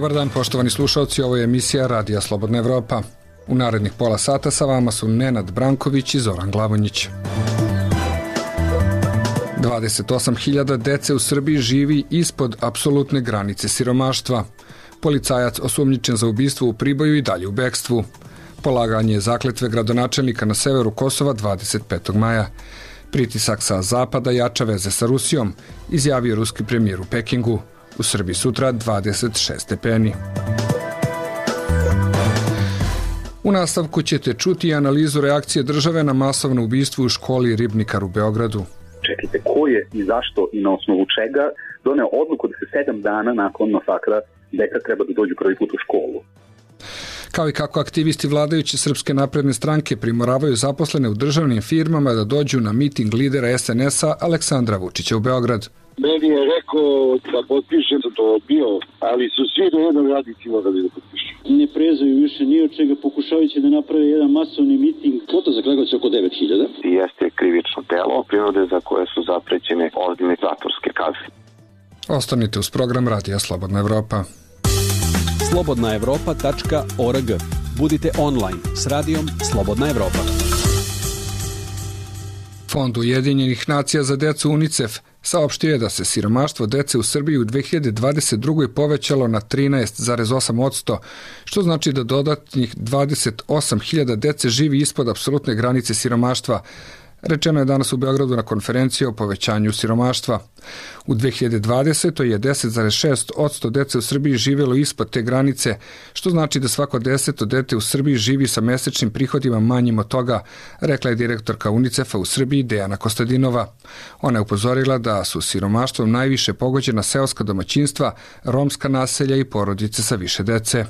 Dobar dan, poštovani slušalci, ovo je emisija Radija Slobodna Evropa. U narednih pola sata sa vama su Nenad Branković i Zoran Glavonjić. 28.000 dece u Srbiji živi ispod apsolutne granice siromaštva. Policajac osumnjičen za ubistvo u Priboju i dalje u bekstvu. Polaganje zakletve gradonačelnika na severu Kosova 25. maja. Pritisak sa zapada jača veze sa Rusijom, izjavio ruski premijer u Pekingu. U Srbiji sutra 26 stepeni. U nastavku ćete čuti analizu reakcije države na masovno ubistvo u školi Ribnikar u Beogradu. Čekajte, ko je i zašto i na osnovu čega doneo odluku da se 7 dana nakon masakra deca treba da dođu prvi put u školu? Kao i kako aktivisti vladajuće Srpske napredne stranke primoravaju zaposlene u državnim firmama da dođu na miting lidera SNS-a Aleksandra Vučića u Beograd. Meni je rekao da potpišem, da to odbio, ali su svi do jednog radnici morali da potpišu. Ne prezaju više ni od čega, pokušavajući da naprave jedan masovni miting. Kvota za Kragujevac je oko 9.000. Jeste krivično delo prinude za koje su zaprećene ozbiljne zatvorske kazne. Ostanite uz program Radija Slobodna Evropa. slobodnaevropa.org. Budite online s radijom Slobodna Evropa. Fond Ujedinjenih nacija za decu UNICEF saopštio je da se siromaštvo dece u Srbiji u 2022. povećalo na 13,8%, što znači da dodatnih 28.000 dece živi ispod apsolutne granice siromaštva. Rečeno je danas u Beogradu na konferenciji o povećanju siromaštva. U 2020. je 10,6% dece u Srbiji živjelo ispod te granice, što znači da svako 10. dete u Srbiji živi sa mesečnim prihodima manjim od toga, rekla je direktorka UNICEF-a u Srbiji Dejana Kostadinova. Ona je upozorila da su siromaštvom najviše pogođena seoska domaćinstva, romska naselja i porodice sa više dece.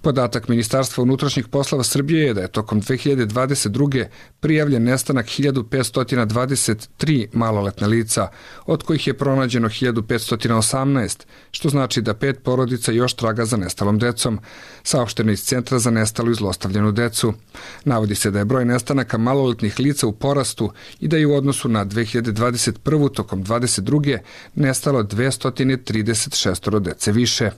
Podatak Ministarstva unutrašnjih poslova Srbije je da je tokom 2022. prijavljen nestanak 1523 maloletna lica, od kojih je pronađeno 1518, što znači da 5 porodica još traga za nestalom decom, saopšteno iz Centra za nestalu i zlostavljenu decu. Navodi se da je broj nestanaka maloletnih lica u porastu i da je u odnosu na 2021. tokom 2022. nestalo 236 dece više.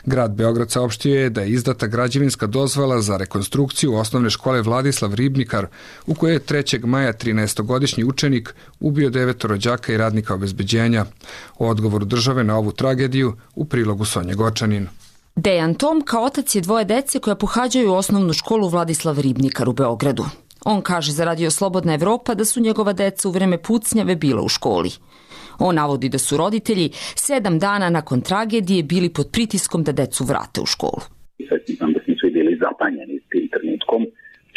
Grad Beograd saopštio je da je izdata građevinska dozvola za rekonstrukciju osnovne škole Vladislav Ribnikar, u kojoj je 3. maja 13-godišnji učenik ubio 9 rođaka i radnika obezbeđenja. O odgovoru države na ovu tragediju u prilogu Sonje Gočanin. Dejan Tomka otac je 2 dece koja pohađaju osnovnu školu Vladislav Ribnikar u Beogradu. On kaže za Radio Slobodna Evropa da su njegova deca u vreme pucnjave bila u školi. On navodi da su roditelji 7 dana nakon tragedije bili pod pritiskom da decu vrate u školu. Sad znam da smo svi bili zapanjeni s tim trenutkom.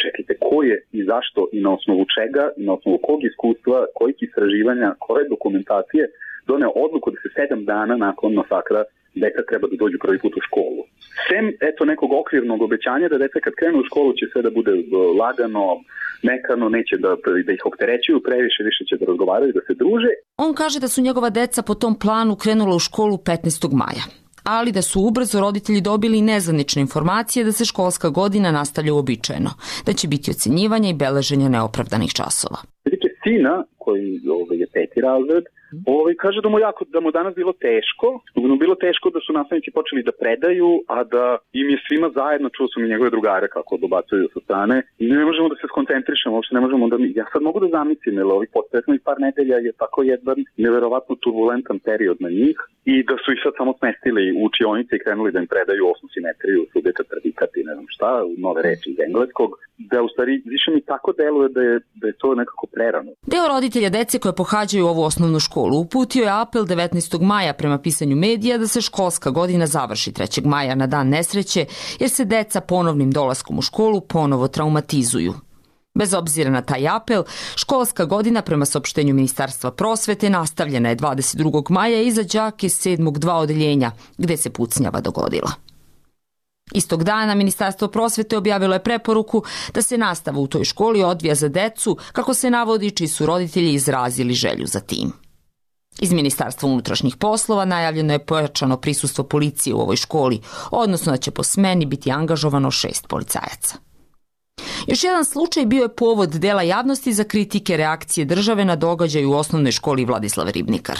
Čekajte, ko je i zašto i na osnovu čega i na osnovu kog iskustva, kojih istraživanja, koje dokumentacije doneo odluku da se 7 dana nakon masakra deca treba da dođu prvi put u školu. Sem, nekog okvirnog obećanja da deca kad krenu u školu će sve da bude lagano, mekano, neće da ih opterećuju previše, više će da razgovaraju, da se druže. On kaže da su njegova deca po tom planu krenula u školu 15. maja, ali da su ubrzo roditelji dobili nezvanične informacije da se školska godina nastavlja uobičajeno, da će biti ocenjivanja i beleženja neopravdanih časova. Vidite, sina, koji je 5. razred, kaže da mu danas bilo teško, bilo teško da su nastavnici počeli da predaju, a da im je svima zajedno, čuo sam i njegove drugare kako dobacuju sa strane, i ne možemo da se skoncentrišemo, uopšte ne možemo da ja sad mogu da zamislim, jer ovih potresnih par nedelja je tako jedan neverovatno turbulentan period na njih, i da su ih sad samo smestili u učionice i krenuli da im predaju osmu simetriju, subjekat, predikat i ne znam šta, nove reči iz engleskog, da u stvari više mi tako deluje da je to nekako prerano. Deo roditelja dece koje pohađaju ovu osnovnu školu uputio je apel 19. maja prema pisanju medija da se školska godina završi 3. maja na dan nesreće, jer se deca ponovnim dolaskom u školu ponovo traumatizuju. Bez obzira na taj apel, školska godina prema saopštenju Ministarstva prosvete nastavljena je 22. maja i za đake 7. 2 odeljenja, gde se pucnjava dogodila. Istog dana Ministarstvo prosvete objavilo je preporuku da se nastava u toj školi odvija za decu, kako se navodi, čiji su roditelji izrazili želju za tim. Iz Ministarstva unutrašnjih poslova najavljeno je pojačano prisustvo policije u ovoj školi, odnosno da će po smeni biti angažovano 6 policajaca. Još jedan slučaj bio je povod dela javnosti za kritike reakcije države na događaj u osnovnoj školi Vladislav Ribnikar.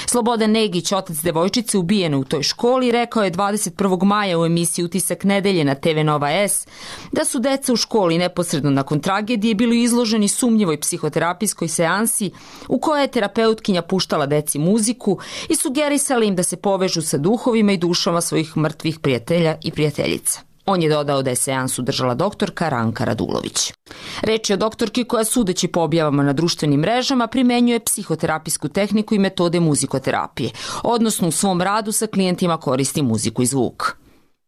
Slobodan Negić, otac devojčice ubijene u toj školi, rekao je 21. maja u emisiji Utisak nedelje na TV Nova S da su deca u školi neposredno nakon tragedije bili izloženi sumnjivoj psihoterapijskoj seansi u kojoj je terapeutkinja puštala deci muziku i sugerisala im da se povežu sa duhovima i dušama svojih mrtvih prijatelja i prijateljica. On je dodao da je seansu držala doktorka Ranka Radulović. Reč je o doktorki koja, sudeći po objavama na društvenim mrežama, primenjuje psihoterapijsku tehniku i metode muzikoterapije, odnosno u svom radu sa klijentima koristi muziku i zvuk.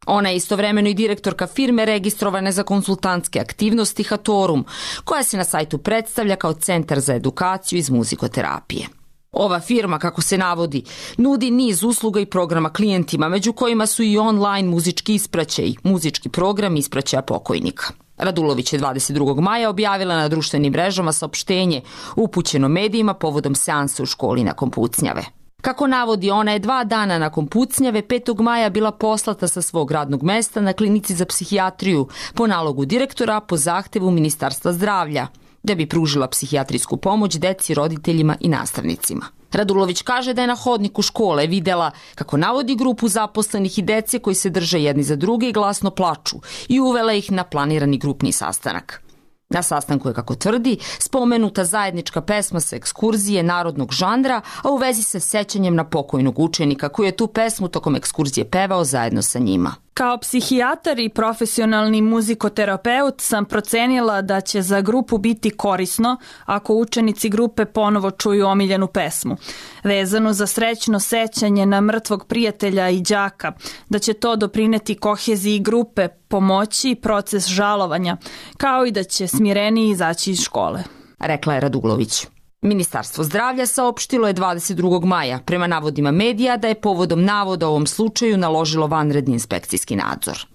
Ona je istovremeno i direktorka firme registrovane za konsultantske aktivnosti Hatorum, koja se na sajtu predstavlja kao centar za edukaciju iz muzikoterapije. Ova firma, kako se navodi, nudi niz usluga i programa klijentima, među kojima su i online muzički ispraćaj, muzički program ispraćaja pokojnika. Radulović je 22. maja objavila na društvenim mrežama saopštenje upućeno medijima povodom seansa u školi nakon pucnjave. Kako navodi, ona je 2 dana nakon pucnjave 5. maja bila poslata sa svog radnog mesta na klinici za psihijatriju po nalogu direktora po zahtevu Ministarstva zdravlja, da bi pružila psihijatrijsku pomoć deci, roditeljima i nastavnicima. Radulović kaže da je na hodniku škole videla, kako navodi, grupu zaposlenih i dece koji se drže jedni za druge i glasno plaču i uvela ih na planirani grupni sastanak. Na sastanku je, kako tvrdi, spomenuta zajednička pesma sa ekskurzije narodnog žanra, a u vezi sa sećanjem na pokojnog učenika koji je tu pesmu tokom ekskurzije pevao zajedno sa njima. Kao psihijatar i profesionalni muzikoterapeut sam procenila da će za grupu biti korisno ako učenici grupe ponovo čuju omiljenu pesmu, vezanu za srećno sećanje na mrtvog prijatelja i đaka, da će to doprineti koheziji grupe, pomoći proces žalovanja, kao i da će smireniji izaći iz škole, rekla je Radulović. Ministarstvo zdravlja saopštilo je 22. maja, prema navodima medija, da je povodom navoda o ovom slučaju naložilo vanredni inspekcijski nadzor.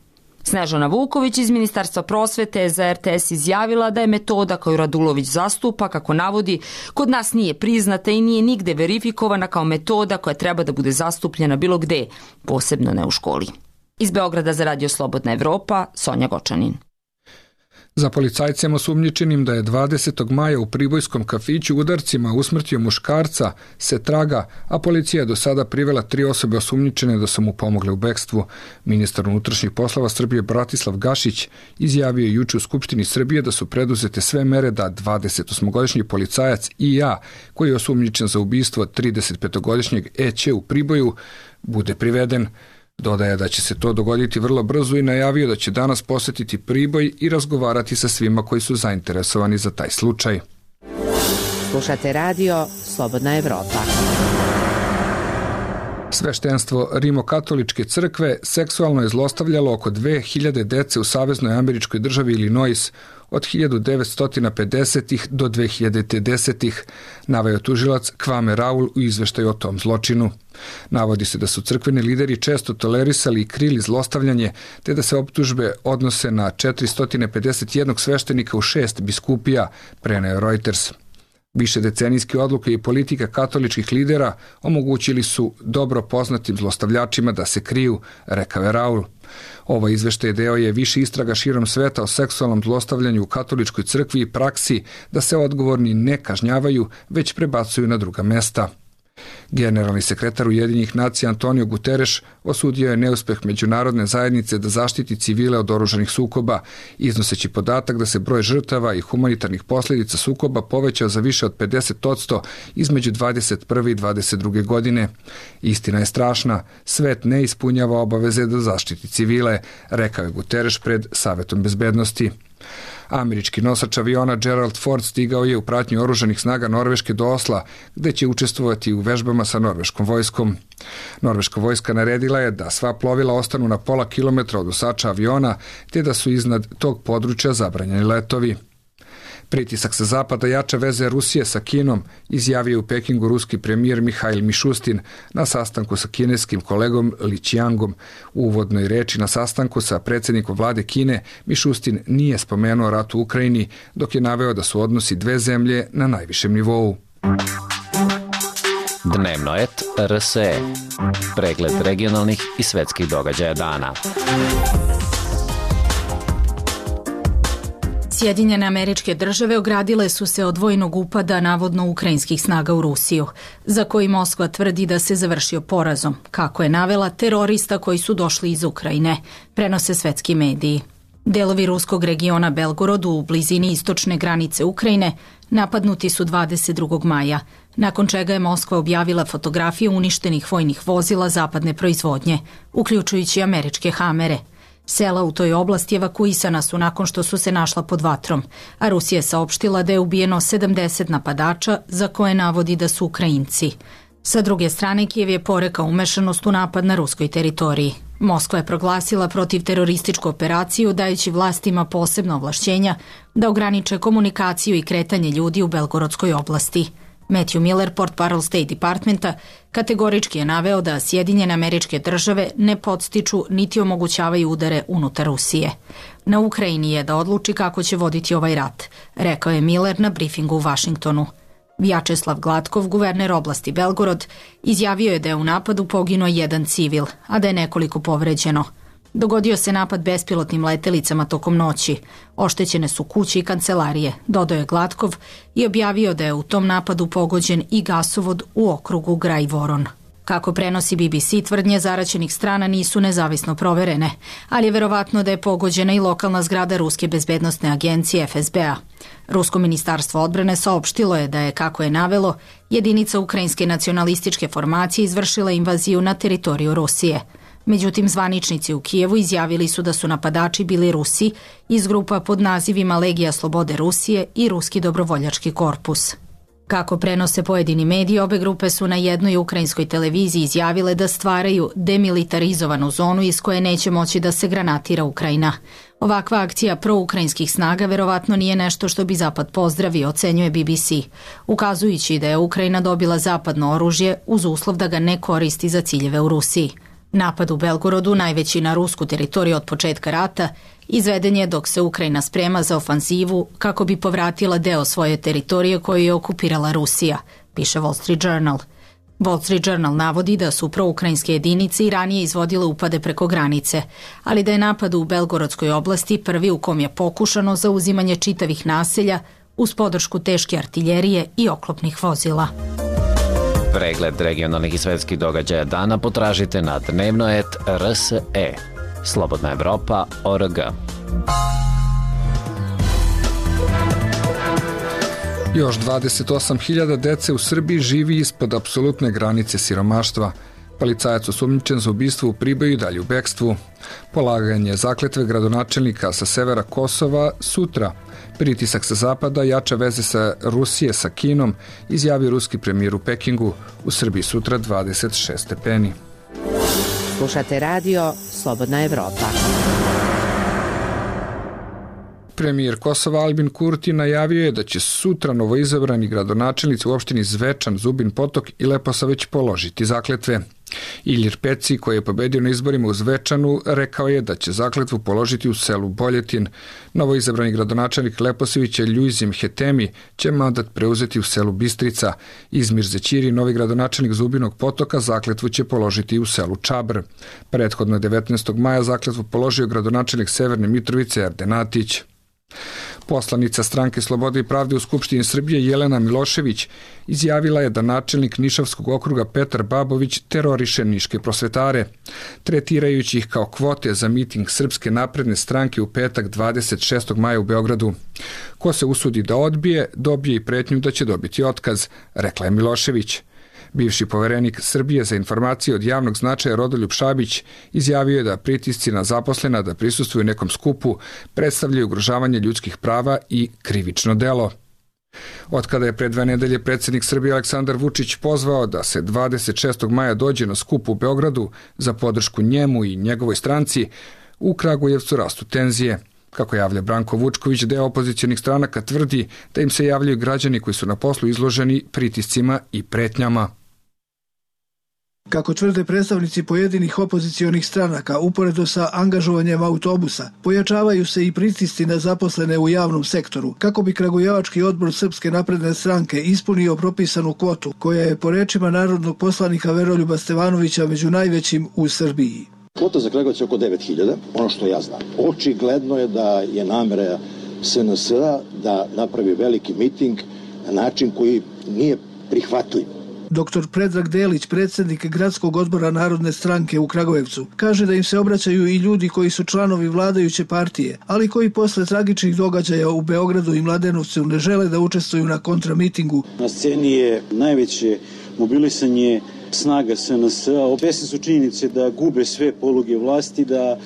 Snežana Vuković iz Ministarstva prosvete je za RTS izjavila da je metoda koju Radulović zastupa, kako navodi, kod nas nije priznata i nije nigde verifikovana kao metoda koja treba da bude zastupljena bilo gde, posebno ne u školi. Iz Beograda za Radio Slobodna Evropa, Sonja Gočanin. Za policajcem osumnjičenim da je 20. maja u pribojskom kafiću udarcima usmrtio muškarca se traga, a policija je do sada privela 3 osobe osumnjičene da su mu pomogle u bekstvu. Ministar unutrašnjih poslova Srbije Bratislav Gašić izjavio juče u Skupštini Srbije da su preduzete sve mere da 28-godišnji policajac I.A., koji je osumnjičen za ubistvo 35-godišnjeg E.Ć. u Priboju, bude priveden. Dodaje da će se to dogoditi vrlo brzo i najavio da će danas posetiti Priboj i razgovarati sa svima koji su zainteresovani za taj slučaj. Slušate radio Slobodna Evropa. Sveštenstvo Rimokatoličke crkve seksualno je zlostavljalo oko 2000 dece u saveznoj američkoj državi Illinois od 1950-ih do 2010-ih, naveo tužilac Kwame Raul u izveštaju o tom zločinu. Navodi se da su crkveni lideri često tolerisali i krili zlostavljanje, te da se optužbe odnose na 451 sveštenika u 6 biskupija, preneo Reuters. Višedecenijske odluke i politika katoličkih lidera omogućili su dobro poznatim zlostavljačima da se kriju, rekao je Raul. Ovo izveštaj deo je više istraga širom sveta o seksualnom zlostavljanju u katoličkoj crkvi i praksi da se odgovorni ne kažnjavaju, već prebacuju na druga mesta. Generalni sekretar Ujedinjenih nacija Antonio Guterres osudio je neuspeh međunarodne zajednice da zaštiti civile od oružanih sukoba, iznoseći podatak da se broj žrtava i humanitarnih posljedica sukoba povećao za više od 50% između 21. i 22. godine. Istina je strašna, svet ne ispunjava obaveze da zaštiti civile, rekao je Guterres pred Savetom bezbednosti. Američki nosač aviona Gerald Ford stigao je u pratnji oružanih snaga Norveške do Osla, gde će učestvovati u vežbama sa norveškom vojskom. Norveška vojska naredila je da sva plovila ostanu na pola kilometra od nosača aviona, te da su iznad tog područja zabranjeni letovi. Pritisak sa zapada jača veze Rusije sa Kinom, izjavio u Pekingu ruski premijer Mihail Mišustin na sastanku sa kineskim kolegom Li Qiangom. U uvodnoj reči na sastanku sa predsjednikom vlade Kine, Mišustin nije spomenuo rat u Ukrajini, dok je naveo da su odnosi dve zemlje na najvišem nivou. Dnevnoet RSE. Pregled regionalnih i svetskih događaja dana. Sjedinjene Američke Države ogradile su se od vojnog upada navodno ukrajinskih snaga u Rusiju, za koji Moskva tvrdi da se završio porazom, kako je navela terorista koji su došli iz Ukrajine, prenose svetski mediji. Delovi ruskog regiona Belgorod u blizini istočne granice Ukrajine napadnuti su 22. maja, nakon čega je Moskva objavila fotografije uništenih vojnih vozila zapadne proizvodnje, uključujući američke Hamere. Sela u toj oblasti evakuisana su nakon što su se našla pod vatrom, a Rusija je saopštila da je ubijeno 70 napadača za koje navodi da su Ukrajinci. Sa druge strane, Kijev je porekao umešanost u napad na ruskoj teritoriji. Moskva je proglasila protivterorističku operaciju dajući vlastima posebno ovlašćenja da ograniče komunikaciju i kretanje ljudi u Belgorodskoj oblasti. Matthew Miller, portparol State Departmenta, kategorički je naveo da Sjedinjene Američke Države ne podstiču niti omogućavaju udare unutar Rusije. Na Ukrajini je da odluči kako će voditi ovaj rat, rekao je Miller na brifingu u Vašingtonu. Vjačeslav Glatkov, guverner oblasti Belgorod, izjavio je da je u napadu poginuo jedan civil, a da je nekoliko povređeno. Dogodio se napad bespilotnim letelicama tokom noći. Oštećene su kuće i kancelarije, dodao je Glatkov i objavio da je u tom napadu pogođen i gasovod u okrugu Graj Voron. Kako prenosi BBC, tvrdnje zaraćenih strana nisu nezavisno proverene, ali je verovatno da je pogođena i lokalna zgrada Ruske bezbednostne agencije FSB-a. Rusko ministarstvo odbrane saopštilo je da je, kako je navelo, jedinica ukrajinske nacionalističke formacije izvršila invaziju na teritoriju Rusije. Međutim, zvaničnici u Kijevu izjavili su da su napadači bili Rusi iz grupa pod nazivima Legija slobode Rusije i Ruski dobrovoljački korpus. Kako prenose pojedini mediji, obe grupe su na jednoj ukrajinskoj televiziji izjavile da stvaraju demilitarizovanu zonu iz koje neće moći da se granatira Ukrajina. Ovakva akcija proukrajinskih snaga verovatno nije nešto što bi Zapad pozdravio, ocenjuje BBC, ukazujući da je Ukrajina dobila zapadno oružje uz uslov da ga ne koristi za ciljeve u Rusiji. Napad u Belgorodu, najveći na rusku teritoriju od početka rata, izveden je dok se Ukrajina sprema za ofanzivu kako bi povratila deo svoje teritorije koju je okupirala Rusija, piše Wall Street Journal. Wall Street Journal navodi da su proukrajinske jedinice i ranije izvodile upade preko granice, ali da je napad u Belgorodskoj oblasti prvi u kom je pokušano zauzimanje čitavih naselja uz podršku teške artiljerije i oklopnih vozila. Pregled regionalnih i svetskih događaja dana potražite na dnevnoet.rse. Slobodna Evropa.org. Još 28.000 dece u Srbiji živi ispod apsolutne granice siromaštva. Policajac osumnjičen za ubistvo u Priboju i dalje u bekstvu. Polaganje zakletve gradonačelnika sa severa Kosova sutra. Pritisak sa zapada jača veze sa Rusije sa Kinom, izjavio ruski premijer u Pekingu. U Srbiji sutra 26 stepeni. Slušate radio Slobodna Evropa. Premijer Kosova Albin Kurti najavio je da će sutra novoizabrani gradonačelnici u opštini Zvečan, Zubin Potok i Leposaveć položiti zakletve. Ilir Peci, koji je pobedio na izborima u Zvečanu, rekao je da će zakletvu položiti u selu Boljetin. Novoizabrani gradonačelnik Leposavića Ljuzim Hetemi će mandat preuzeti u selu Bistrica. Izmir Zećiri, novi gradonačelnik Zubinog Potoka, zakletvu će položiti u selu Čabr. Prethodno 19. maja zakletvu položio gradonačelnik Severne Mitrovice Erdenatić. Poslanica Stranke slobode i pravde u Skupštini Srbije Jelena Milošević izjavila je da načelnik Nišavskog okruga Petar Babović teroriše niške prosvetare, tretirajući ih kao kvote za miting Srpske napredne stranke u petak 26. maja u Beogradu. Ko se usudi da odbije, dobije i pretnju da će dobiti otkaz, rekla je Milošević. Bivši poverenik Srbije za informacije od javnog značaja Rodoljub Šabić izjavio je da pritisci na zaposlena da prisustvuju nekom skupu predstavljaju ugrožavanje ljudskih prava i krivično delo. Otkada je pre 2 nedelje predsjednik Srbije Aleksandar Vučić pozvao da se 26. maja dođe na skup u Beogradu za podršku njemu i njegovoj stranci, u Kragujevcu rastu tenzije. Kako javlja Branko Vučković, deo opozicionih stranaka tvrdi da im se javljaju građani koji su na poslu izloženi pritiscima i pretnjama. Kako tvrde predstavnici pojedinih opozicionih stranaka, uporedo sa angažovanjem autobusa, pojačavaju se i pritisci na zaposlene u javnom sektoru, kako bi Kragujevački odbor Srpske napredne stranke ispunio propisanu kvotu, koja je po rečima narodnog poslanika Veroljuba Stevanovića među najvećim u Srbiji. Kvota za Kragujevac je oko 9.000, ono što ja znam. Očigledno je da je namera SNS-a da napravi veliki miting na način koji nije prihvatljiv. Dr. Predrag Delić, predsjednik Gradskog odbora Narodne stranke u Kragujevcu, kaže da im se obraćaju i ljudi koji su članovi vladajuće partije, ali koji posle tragičnih događaja u Beogradu i Mladenovcu ne žele da učestvuju na kontramitingu. Na sceni je najveće mobilisanje snaga SNS-a. Svesni su činjenice da gube sve poluge vlasti, da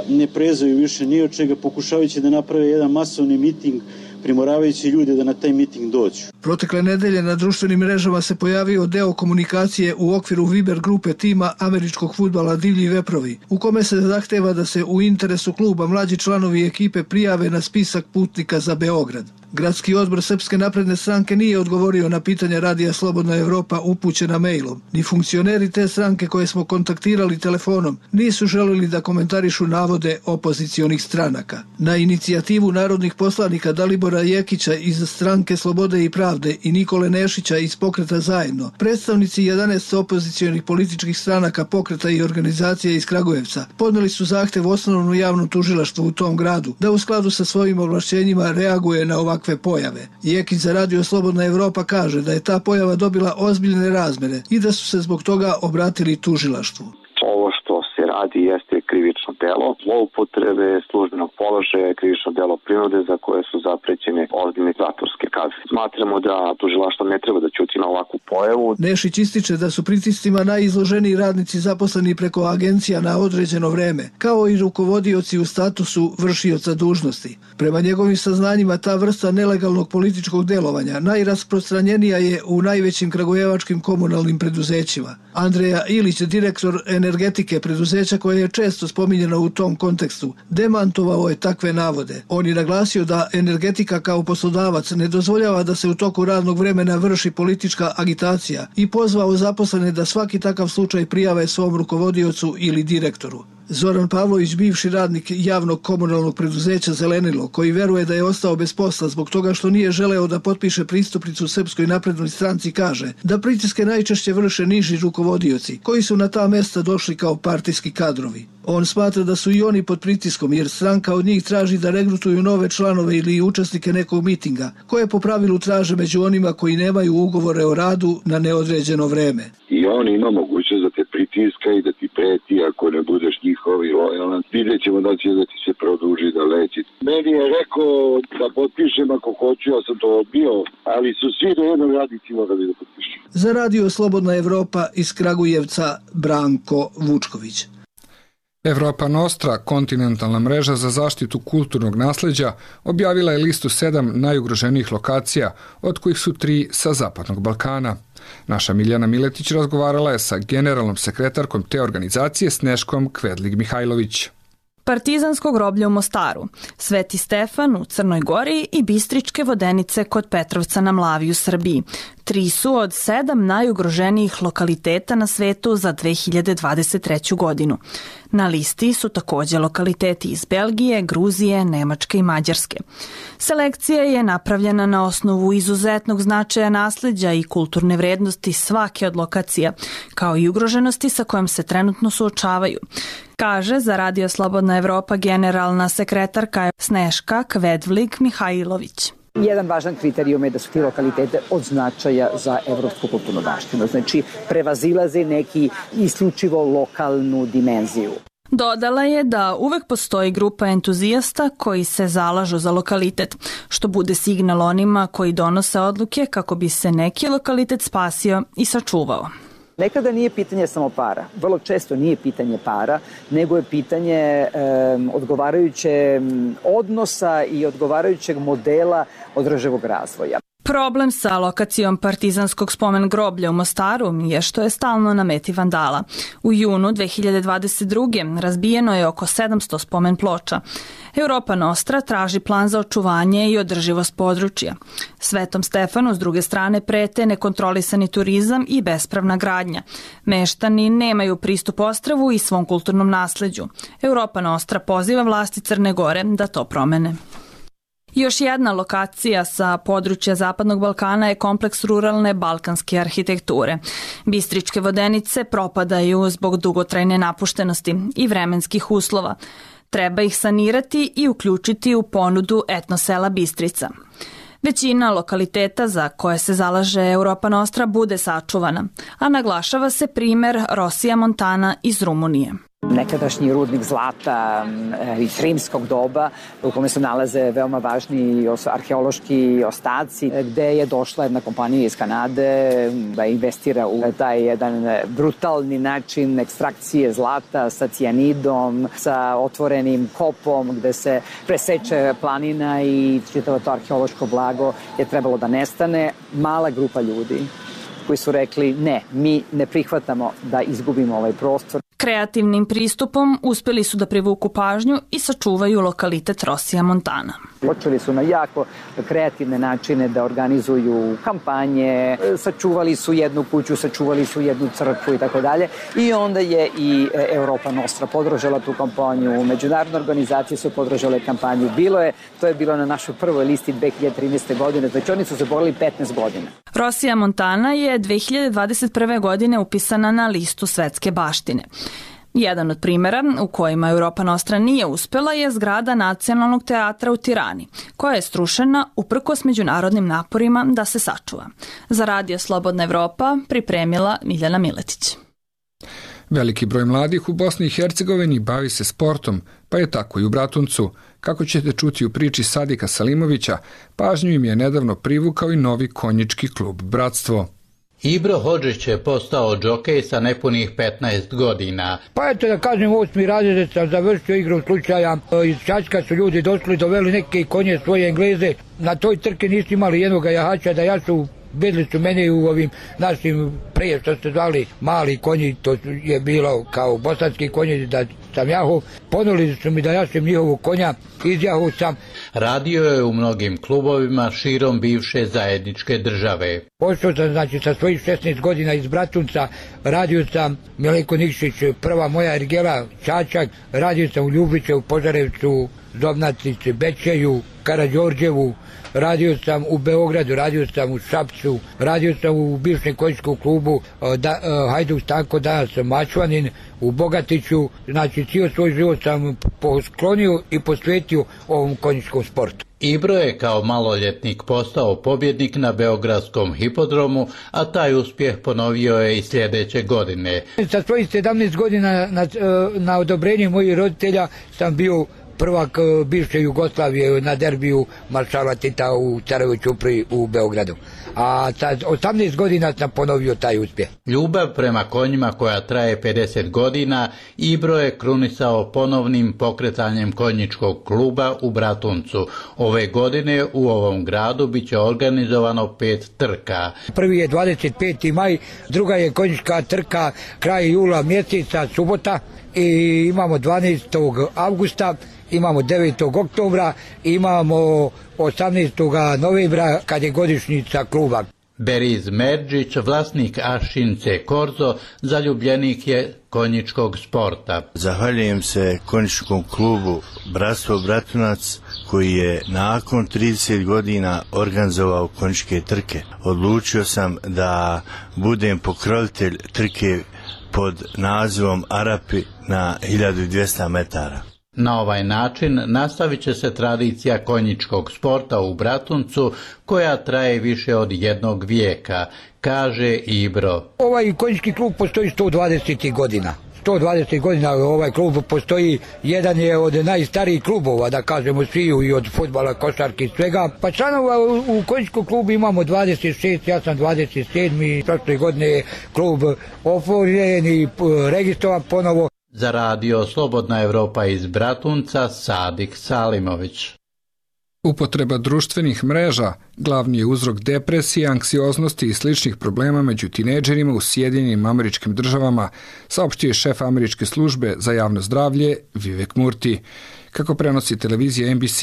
ne prezaju više ni od čega, pokušavajući da naprave jedan masovni miting, primoravajući ljude da na taj miting dođu. Protekle nedelje na društvenim mrežama se pojavio deo komunikacije u okviru Viber grupe tima američkog fudbala Divlji veprovi, u kome se zahteva da se u interesu kluba mlađi članovi ekipe prijave na spisak putnika za Beograd. Gradski odbor Srpske napredne stranke nije odgovorio na pitanja Radija Slobodna Evropa upućena mailom. Ni funkcioneri te stranke koje smo kontaktirali telefonom nisu želeli da komentarišu navode opozicionih stranaka. Na inicijativu narodnih poslanika Dalibora Jekića iz stranke Slobode i pravde i Nikole Nešića iz Pokreta zajedno, predstavnici 11 opozicionih političkih stranaka, pokreta i organizacija iz Kragujevca podneli su zahtev osnovnom javnom tužilaštvu u tom gradu da u skladu sa svojim ovlašćenjima reaguje na ovakve pojave. Jekić za Radio Slobodna Evropa kaže da je ta pojava dobila ozbiljne razmere i da su se zbog toga obratili tužilaštvu. Ovo što se radi jeste krivično delo zloupotrebe službenog položaja, krivično delo prinude za koje su zaprećene ozbiljne zatvorske kazne. Smatramo da tužilaštvo ne treba da ćuti na ovakvu pojavu. Nešić ističe da su pritiscima najizloženiji radnici zaposleni preko agencija na određeno vreme, kao i rukovodioci u statusu vršioca dužnosti. Prema njegovim saznanjima, ta vrsta nelegalnog političkog delovanja najrasprostranjenija je u najvećim kragujevačkim komunalnim preduzećima. Andreja Ilić, direktor energetike preduzeća koje je često spominjeno u tom kontekstu, demantovao je takve navode. On je naglasio da energetika kao poslodavac ne dozvoljava da se u toku radnog vremena vrši politička agitacija i pozvao zaposlene da svaki takav slučaj prijave svom rukovodiocu ili direktoru. Zoran Pavlović, bivši radnik javnog komunalnog preduzeća Zelenilo, koji veruje da je ostao bez posla zbog toga što nije želeo da potpiše pristupnicu Srpskoj naprednoj stranci, kaže da pritiske najčešće vrše niži rukovodioci, koji su na ta mesta došli kao partijski kadrovi. On smatra da su i oni pod pritiskom jer stranka od njih traži da regrutuju nove članove ili učesnike nekog mitinga, koje po pravilu traže među onima koji nemaju ugovore o radu na neodređeno vreme. I on ima mogućnost da te pritiska i da ti preti ako ne budeš njihov i lojalan. Vidjet ćemo da će da ti se produži da leći. Meni je rekao da potpišem ako hoću, ja sam to odbio, ali su svi do jednog radnici morali da potpišem. Za Radio Slobodna Evropa iz Kragujevca, Branko Vučković. Evropa Nostra, kontinentalna mreža za zaštitu kulturnog nasleđa, objavila je listu 7 najugroženijih lokacija, od kojih su 3 sa Zapadnog Balkana. Naša Miljana Miletić razgovarala je sa generalnom sekretarkom te organizacije Sneškom Kvedlig-Mihajlović. Partizansko groblje u Mostaru, Sveti Stefan u Crnoj Gori i Bistričke vodenice kod Petrovca na Mlavi u Srbiji. 3 su od 7 najugroženijih lokaliteta na svetu za 2023. godinu. Na listi su također lokaliteti iz Belgije, Gruzije, Nemačke i Mađarske. Selekcija je napravljena na osnovu izuzetnog značaja nasleđa i kulturne vrednosti svake od lokacija, kao i ugroženosti sa kojom se trenutno suočavaju, kaže za Radio Slobodna Evropa generalna sekretarka Sneška Kvedlig-Mihajlović. Jedan važan kriterijum je da su ti lokalitete od značaja za evropsku kulturnu baštinu, znači prevazilaze neki isključivo lokalnu dimenziju. Dodala je da uvek postoji grupa entuzijasta koji se zalažu za lokalitet, što bude signal onima koji donose odluke kako bi se neki lokalitet spasio i sačuvao. Nekada nije pitanje samo para, vrlo često nije pitanje para, nego je pitanje odgovarajuće odnosa i odgovarajućeg modela održivog razvoja. Problem sa lokacijom Partizanskog spomen groblja u Mostaru je što je stalno na meti vandala. U junu 2022. razbijeno je oko 700 spomen ploča. Europa Nostra traži plan za očuvanje i održivost područja. Svetom Stefanu s druge strane prete nekontrolisani turizam i bespravna gradnja. Meštani nemaju pristup ostrvu i svom kulturnom nasleđu. Europa Nostra poziva vlasti Crne Gore da to promene. Još jedna lokacija sa područja Zapadnog Balkana je kompleks ruralne balkanske arhitekture. Bistričke vodenice propadaju zbog dugotrajne napuštenosti i vremenskih uslova. Treba ih sanirati i uključiti u ponudu etnosela Bistrica. Većina lokaliteta za koje se zalaže Europa Nostra bude sačuvana, a naglašava se primer Rosija Montana iz Rumunije. Nekadašnji rudnik zlata iz rimskog doba u kome se nalaze veoma važni arheološki ostaci, gde je došla jedna kompanija iz Kanade da investira u taj jedan brutalni način ekstrakcije zlata sa cijanidom, sa otvorenim kopom gde se preseče planina i čitavo to arheološko blago je trebalo da nestane. Mala grupa ljudi koji su rekli ne, mi ne prihvatamo da izgubimo ovaj prostor. Kreativnim pristupom uspeli su da privuku pažnju i sačuvaju lokalitet Rosija Montana. Počeli su na jako kreativne načine da organizuju kampanje, sačuvali su jednu kuću, sačuvali su jednu crkvu i tako dalje. I onda je i Europa Nostra podržala tu kampanju, međunarodne organizacije su podržale kampanju. To je bilo na našoj prvoj listi 2013. godine, znači oni su se borili 15 godina. Rosija Montana je 2021. godine upisana na listu svetske baštine. Jedan od primjera u kojima Europa Nostra nije uspela je zgrada Nacionalnog teatra u Tirani, koja je strušena uprkos međunarodnim naporima da se sačuva. Za Radio Slobodna Evropa pripremila Miljana Miletić. Veliki broj mladih u Bosni i Hercegovini bavi se sportom, pa je tako i u Bratuncu. Kako ćete čuti u priči Sadika Salimovića, pažnju im je nedavno privukao i novi konjički klub Bratstvo. Ibro Hodžić je postao džokej sa nepunih 15 godina. Pa eto da kažem, 8. razred sam završio igru slučaja. Iz Čačka su ljudi došli, doveli neke konje svoje Engleze. Na toj trke nisu imali jednog jahača da jašu. Bedli su mene u ovim našim prije što se zvali mali konji, to je bilo kao bosanski konji da sam jahu. Ponuli su mi da jašem njihovog konja, izjahu sam. Radio je u mnogim klubovima širom bivše zajedničke države. Pošao sam znači sa svojih 16 godina iz Bratunca, radio sam Mileko Nikšić, prva moja ergela Čačak, radio sam u Ljubiće, u Požarevcu, Zobnacici, Bečeju, Karađorđevu, radio sam u Beogradu, radio sam u Šapcu, radio sam u bivšem konjičkom klubu Hajduk Stanko, danas sam Mačvanin, u Bogatiću, znači cijel svoj život sam posklonio i posvetio ovom konjičkom sportu. Ibro je kao maloljetnik postao pobjednik na Beogradskom hipodromu, a taj uspjeh ponovio je i sljedeće godine. Sa svojih 17 godina na odobrenje mojih roditelja sam bio prvak bivše Jugoslavije na derbiju maršala Tita u Carevoj Ćupri u Beogradu. A sa 18 godina sam ponovio taj uspjeh. Ljubav prema konjima koja traje 50 godina, Ibro je krunisao ponovnim pokretanjem konjičkog kluba u Bratuncu. Ove godine u ovom gradu biće organizovano 5 trka. Prvi je 25. maj, druga je konjička trka kraj jula mjeseca, subota, i imamo 12. avgusta, imamo 9. oktobra, imamo 18. novembra kad je godišnjica kluba. Beriz Merđić, vlasnik Ašince Korzo, zaljubljenik je konjičkog sporta. Zahvaljujem se konjičkom klubu Bratstvo Bratunac koji je nakon 30 godina organizovao konjičke trke. Odlučio sam da budem pokrovitelj trke pod nazivom Arapi na 1200 metara. Na ovaj način nastavit će se tradicija konjičkog sporta u Bratuncu koja traje više od jednog vijeka, kaže Ibro. Ovaj konjički klub postoji 120 godina. 120 godina ovaj klub postoji, jedan je od najstarijih klubova, da kažemo svi, i od fudbala, košarke i svega. Pa članova u konjičkom klubu imamo 26, ja sam 27. Prošle godine je klub otvoren i registrovan ponovo. Za Radio Slobodna Evropa iz Bratunca, Sadik Salimović. Upotreba društvenih mreža glavni je uzrok depresije, anksioznosti i sličnih problema među tinejdžerima u Sjedinjenim Američkim Državama, saopštio je šef Američke službe za javno zdravlje Vivek Murti. Kako prenosi televizija NBC,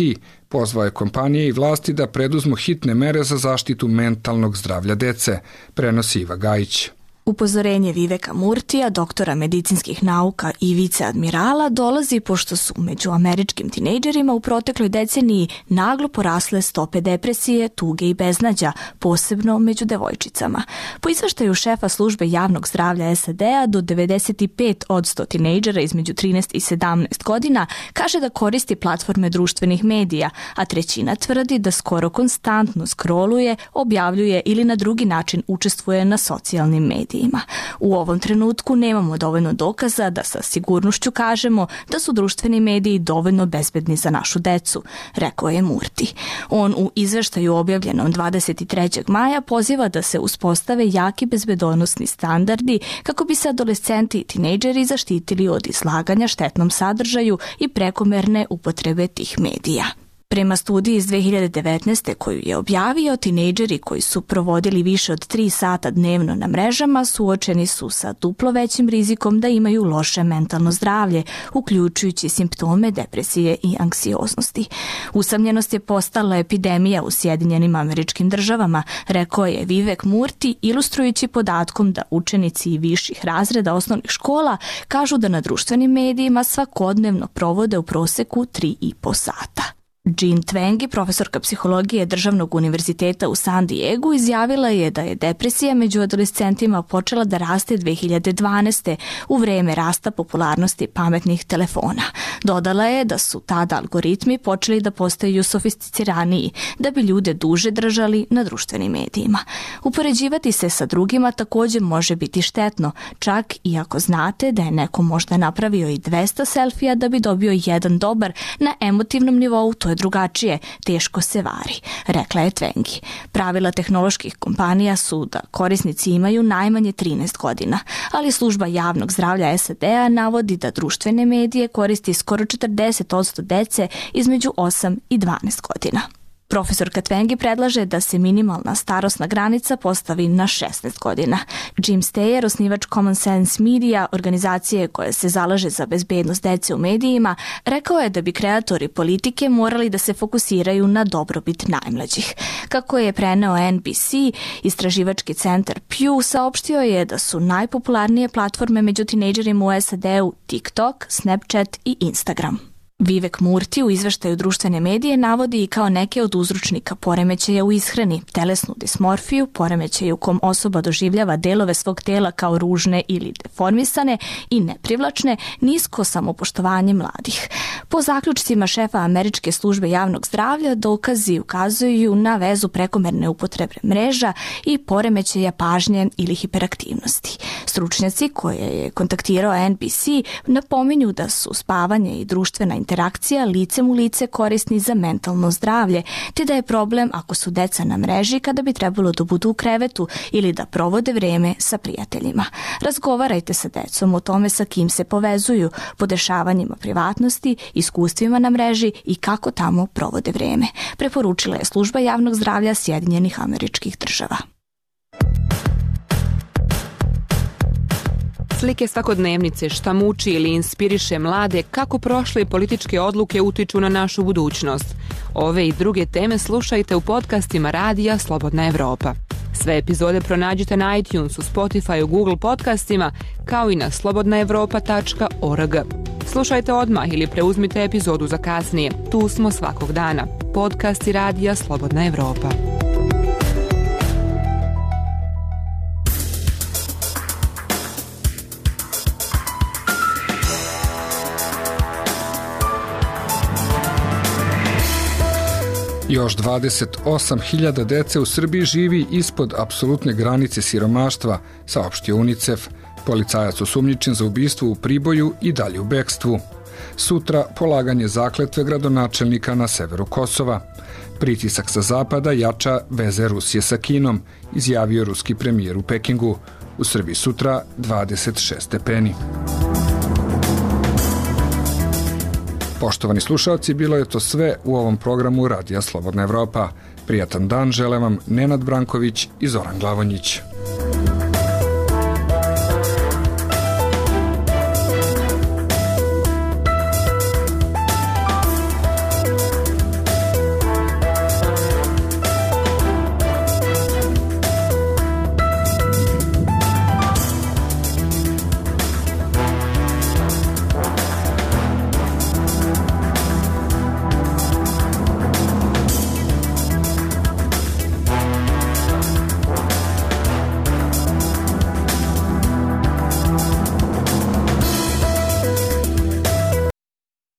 pozvao je kompanije i vlasti da preduzmu hitne mere za zaštitu mentalnog zdravlja dece, prenosi Iva Gajić. Upozorenje Viveka Murtija, doktora medicinskih nauka i viceadmirala, dolazi pošto su među američkim tinejdžerima u protekloj deceniji naglo porasle stope depresije, tuge i beznađa, posebno među devojčicama. Po izveštaju šefa službe javnog zdravlja SAD-a, do 95% tinejdžera između 13 i 17 godina kaže da koristi platforme društvenih medija, a trećina tvrdi da skoro konstantno scrolluje, objavljuje ili na drugi način učestvuje na socijalnim medijima. U ovom trenutku nemamo dovoljno dokaza da sa sigurnošću kažemo da su društveni mediji dovoljno bezbedni za našu decu, rekao je Murti. On u izveštaju objavljenom 23. maja poziva da se uspostave jaki bezbedonosni standardi kako bi se adolescenti i tinejdžeri zaštitili od izlaganja štetnom sadržaju i prekomerne upotrebe tih medija. Prema studiji iz 2019. koju je objavio, tinejdžeri koji su provodili više od 3 sata dnevno na mrežama suočeni su sa duplo većim rizikom da imaju loše mentalno zdravlje, uključujući simptome depresije i anksioznosti. Usamljenost je postala epidemija u Sjedinjenim Američkim Državama, rekao je Vivek Murti, ilustrujući podatkom da učenici i viših razreda osnovnih škola kažu da na društvenim medijima svakodnevno provode u proseku 3,5 sata. Jean Twenge, profesorka psihologije Državnog univerziteta u San Diegu, izjavila je da je depresija među adolescentima počela da raste 2012. u vreme rasta popularnosti pametnih telefona. Dodala je da su tada algoritmi počeli da postaju sofisticiraniji, da bi ljude duže držali na društvenim medijima. Upoređivati se sa drugima također može biti štetno, čak i ako znate da je neko možda napravio i 200 selfija da bi dobio jedan dobar. Na emotivnom nivou to je drugačije, teško se vari, rekla je Twenge. Pravila tehnoloških kompanija su da korisnici imaju najmanje 13 godina, ali služba javnog zdravlja SAD-a navodi da društvene medije koristi skoro 40% dece između 8 i 12 godina. Profesorka Twenge predlaže da se minimalna starosna granica postavi na 16 godina. Jim Steyer, osnivač Common Sense Media, organizacije koja se zalaže za bezbednost dece u medijima, rekao je da bi kreatori politike morali da se fokusiraju na dobrobit najmlađih. Kako je preneo NBC, istraživački centar Pew saopštio je da su najpopularnije platforme među tinejdžerima u SAD-u TikTok, Snapchat i Instagram. Vivek Murti u izveštaju društvene medije navodi i kao neke od uzročnika poremećaja u ishrani, telesnu dismorfiju, poremećaj u kom osoba doživljava delove svog tela kao ružne ili deformisane i neprivlačne, nisko samopoštovanje mladih. Po zaključcima šefa Američke službe javnog zdravlja, dokazi ukazuju na vezu prekomerne upotrebe mreža i poremećaja pažnje ili hiperaktivnosti. Stručnjaci koje je kontaktirao NBC napominju da su spavanje i društvena interakcija licem u lice korisni za mentalno zdravlje, te da je problem ako su deca na mreži kada bi trebalo da budu u krevetu ili da provode vreme sa prijateljima. Razgovarajte sa decom o tome sa kim se povezuju, podešavanjima privatnosti, iskustvima na mreži i kako tamo provode vreme, preporučila je služba javnog zdravlja Sjedinjenih Američkih Država. Slike svakodnevnice, šta muči ili inspiriše mlade, kako prošle političke odluke utiču na našu budućnost. Ove i druge teme slušajte u podcastima Radija Slobodna Evropa. Sve epizode pronađite na iTunesu, Spotifyu, Google podcastima, kao i na slobodnaevropa.org. Slušajte odmah ili preuzmite epizodu za kasnije. Tu smo svakog dana. Podcasti Radija Slobodna Evropa. Još 28.000 dece u Srbiji živi ispod apsolutne granice siromaštva, saopštio UNICEF. Policajac osumnjičen za ubistvo u Priboju i dalje u bekstvu. Sutra polaganje zakletve gradonačelnika na severu Kosova. Pritisak sa zapada jača veze Rusije sa Kinom, izjavio ruski premijer u Pekingu. U Srbiji sutra 26 stepeni. Poštovani slušalci, bilo je to sve u ovom programu Radija Slobodna Evropa. Prijatan dan žele vam Nenad Branković i Zoran Glavonjić.